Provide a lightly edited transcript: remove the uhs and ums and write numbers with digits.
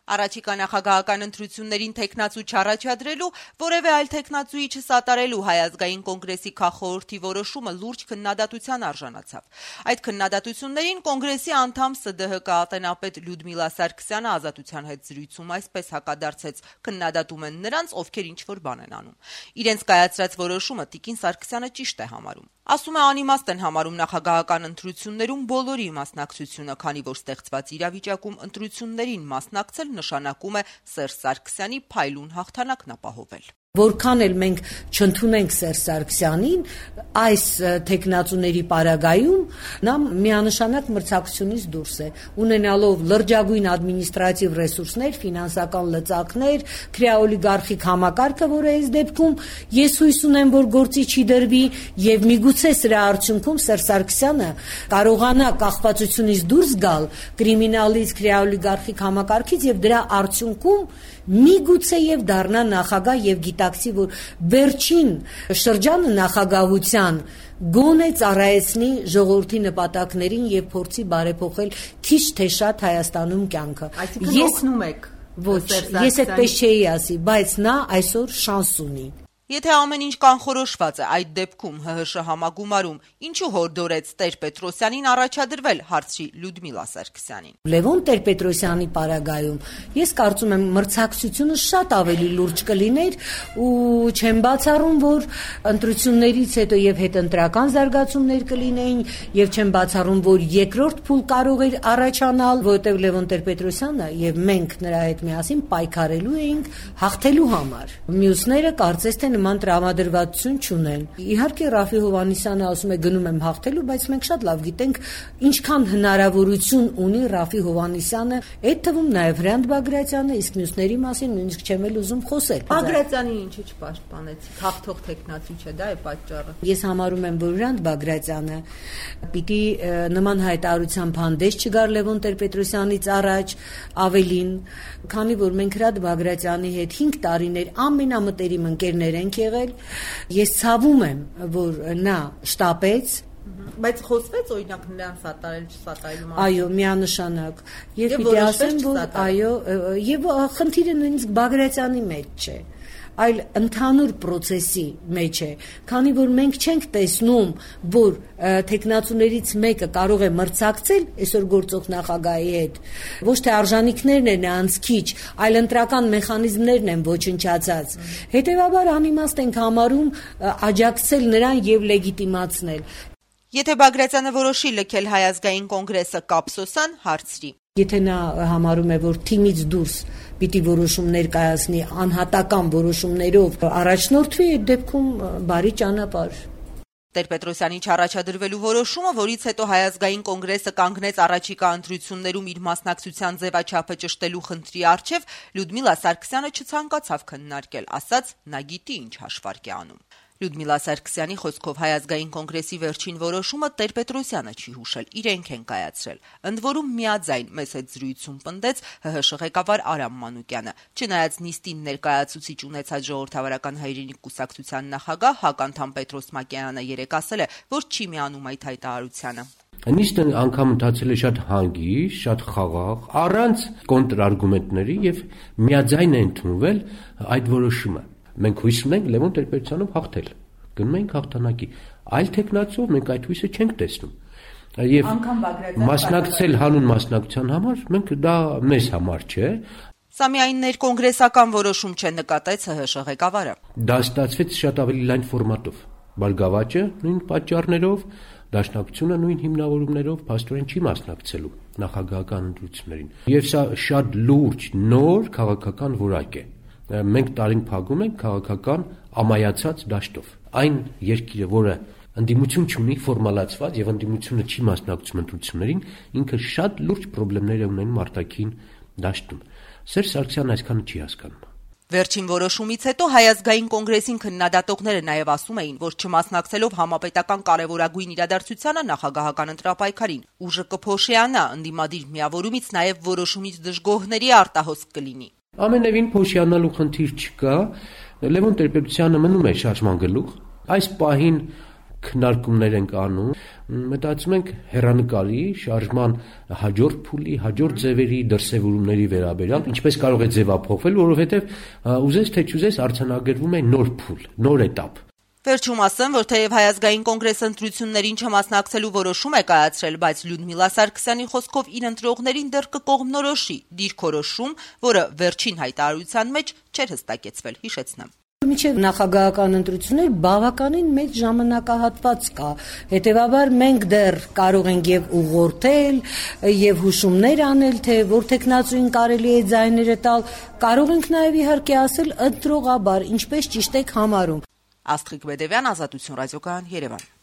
Առաջիկա նախագահական ընտրություններին թեկնածու չառաջադրելու, որևէ այլ թեկնածուի չսատարելու Հայ ազգային կոնգրեսի քաղխորհրդի որոշումը լուրջ քննադատության արժանացավ։ Այդ քննադատություններին կոնգրեսի անդամ ՍԴՀԿ ատենապետ Լյուդմիլա Սարգսյանը Ազատության հետ զրույցում այսպես հակադարձեց. քննադատում են նրանց, ովքեր ինչ-որ բան են անում։ Իրենց կայացրած որոշումը տիկին Սարգսյանը ճիշտ է համարում։ Ասում է, անիմաստ են համարում նախագահական ընտրություններում բոլորի մասնակցությունը, քանի որ ստեղծված իրավիճակում ընտրություններին մասնակցել նշանակում է Սերժ Սարգսյանի փայլուն հաղթանակն ապահովել։ Որքան էլ մենք չընդունենք Սերժ Սարգսյանին, այս թեկնածուների պարագայում նա միանշանակ մրցակցությունից դուրս է, ունենալով լրջագույն ադմինիստրատիվ ռեսուրսներ, ֆինանսական լծակներ, քրեաօլիգարխիկ համակարգը, որը այս դեպքում ես հույս ունեմ, որ գործի չի դրվի, եւ միգուցե սրա արդյունքում Սերժ Սարգսյանը կարողանա կախվածությունից դուրս գալ կրիմինալից, քրեաօլիգարխիկ համակարգից եւ դրա արդյունքում միգուցե եւ դառնա նախագահ եւ գիտակցի, որ վերջին շրջանը նախագահության գոնե ծառայեցնի ժողովրդի նպատակներին եւ փորձի բարեփոխել քիչ թե շատ Հայաստանում կյանքը։ Այսինքն օգնում եք։ Ոչ, ես այդպես չէի ասի, բայց նա այսօր շանս ունի։ Եթե ամեն ինչ կանխորոշված է, այդ դեպքում ՀՀՇ համագումարում ինչու հորդորեց Տեր-Պետրոսյանին առաջադրվել, հարցրի Լյուդմիլա Սարգսյանին։ Լևոն Տեր-Պետրոսյանի պարագայում ես կարծում եմ մրցակցությունը շատ ավելի լուրջ կլիներ ու չեմ բացառում, որ ընտրություններից հետո եւ հետընտրական զարգացումներ կլինեին եւ չեմ բացառում, որ երկրորդ փուլ կարող էր առաջանալ, որտեղ Լևոն Տեր-Պետրոսյանը եւ մենք նրա հետ միասին պայքարելու էինք հաղթելու համար։ Մյուսները կարծես թե նման տրամադրվածություն չունեն։ Իհարկե Ռաֆի Հովհաննիսյանը ասում է գնում եմ հաղթելու, բայց մենք շատ լավ գիտենք ինչքան հնարավորություն ունի Ռաֆի Հովհաննիսյանը, այդ թվում նաև Հրանտ Բագրատյանը, իսկ մյուսների մասին նույնիսկ չեմ էլ ուզում խոսել։ Բագրատյանի ինչի չպաշտպանեցիք, հաղթող թեկնածու չէ, դա է պատճառը։ Ես համարում եմ, որ Հրանտ Բագրատյանը պիտի նման հայտարարությամբ հանդես չգար Լևոն Տեր-Պետրոսյանից առաջ, ավելին, քանի որ մենք Հրանտ Բագրատյանի հետ 5 տարիներ ամենամտերիմ ընկերներ ենք եղել, ես ցավում եմ, որ նա շտապեց, բայց խոսվեց օրինակ նրան սատարել չսատարելու մասին։ Այո, միանշանակ։ Եվ պիտի ասեմ, որ այո, եւ խնդիրը նույնիսկ Բագրատյանի մեջ չէ, այլ ընդհանուր process-ի մեջ է, քանի որ մենք չենք տեսնում, որ թեկնածուներից մեկը կարող է մրցակցել այսօր գործող նախագահի հետ, ոչ թե արժանինքներն են անցքիչ, այլ ընտրական մեխանիզմներն են ոչնչացած։ Հետևաբար անիմաստ ենք համարում աջակցել նրան եւ լեգիտիմացնել։ Եթե Բագրատյանը որոշի լքել Հայ ազգային կոնգրեսը, կապսոսան, հարցրի։ Եթե նա համարում է, որ թիմից դուրս պիտի որոշումներ կայացնի, անհատական որոշումներով առաջնորդվի, այդ դեպքում բարի ճանապարհ։ Տեր-Պետրոսյանի չառաջադրվելու որոշումը, որից հետո Հայ ազգային կոնգրեսը կանգնեց առաջիկա ընտրություններում իր մասնակցության ձևաչափը ճշտելու խնդրի առջև, Լյուդմիլա Սարգսյանը չցանկացավ քննարկել, ասաց նա գիտի ինչ հաշվարկ է անում։ Լյուդմիլա Սարգսյանի խոսքով Հայ ազգային կոնգրեսի վերջին որոշումը Տեր-Պետրոսյանը չի հուշել, իրենք են կայացրել։ Ընդ որում միաձայն մեծ հետ զրույցում պնդեց ՀՀՇ ղեկավար Արամ Մանուկյանը։ Չնայած նիստին ներկայացուցիչ ունեցած ժողովրդավարական հայրենիք կուսակցության նախագահ հականդամ Պետրոս Մակեյանը երեկ ասել է, որ չի միանում այդ հայտարարությանը։ Նիստը անգամ ընթացել է շատ հանգիստ, շատ խաղաղ, առանց կոնտրարգումենտների եւ միաձայն է ընդունվել այդ որոշումը։ Մենք հույս ունենք Լևոն Տեր-Պետրոսյանով հաղթել։ Գնում ենք հաղթանակի։ Այլ թեկնածուով մենք այդ հույսը չենք տեսնում։ Եվ մասնակցել հանուն մասնակցության համար մենք դա մեզ համար չէ։ Սա միայն ներկոնգրեսական որոշում չէ, նկատեց ՀՀՇ ղեկավարը։ Դա ստացվեց շատ ավելի լայն ֆորմատով։ Բարգավաճը նույն պատճառներով, Դաշնակցությունը նույն հիմնավորումներով փաստորեն չի մասնակցելու նախագահական ընտրություններին։ Եվ սա շատ լուրջ նոր քաղաքական որակ է։ Մենք տարին փակում ենք քաղաքական ամայացած դաշտով։ Այն երկիրը, որը ընդդիմություն չունի ֆորմալացված եւ ընդդիմությունը չի մասնակցում ընտրություններին, ինքը շատ լուրջ խնդիրներ ունեն արտաքին դաշտում։ Սերժ Սարգսյանն այսքանը չի հասկանում։ Վերջին որոշումից հետո Հայ ազգային կոնգրեսին քննադատողները նաև ասում էին, որ չմասնակցելով համապետական կարևորագույն իրադարձությանը նախագահական ընտրապայքարին, ուժը կփոշիանա, ընդդիմադիր միավորումից նաև որոշումից դժգոհների արտահոսք կլինի։ Ամենևին փոշիանալու խնդիր չկա, Լևոն Տեր-Պետրոսյանը մնում է շարժման գլուխ, այս պահին քննարկումներ ենք անում, մտածում ենք հեռանկարի շարժման հաջորդ փուլի, հաջորդ ձևերի, դրսևորումների վերաբերյալ, ինչպես կարող է ձևափոխվել, որովհետև ուզես թե չուզես արձանագրվում է նոր փուլ, նոր էտապ։ Վերջում ասեմ, որ թեև Հայ ազգային կոնգրեսը ընտրություններին չմասնակցելու որոշում է կայացրել, բայց Լյուդմիլա Սարգսյանի խոսքով իր ընտրողներին դեռ կկողմնորոշի դիրքորոշում, որը վերջին հայտարարության մեջ չէր հստակեցվել, հիշեցնեմ։ Մինչև նախագահական ընտրություններ բավականին մեծ ժամանակահատված կա, հետևաբար մենք դեռ կարող ենք եւ ուղղորդել եւ հուշումներ անել, թե որ տեխնացուին կարելի է ձայները տալ, կարող ենք նաեւ իհարկե ասել ընտրողաբար, ինչպես ճիշտ եք համարում։ Աստղիկ Բեդևյան, Ազատություն ռադիոկայան, Երևան։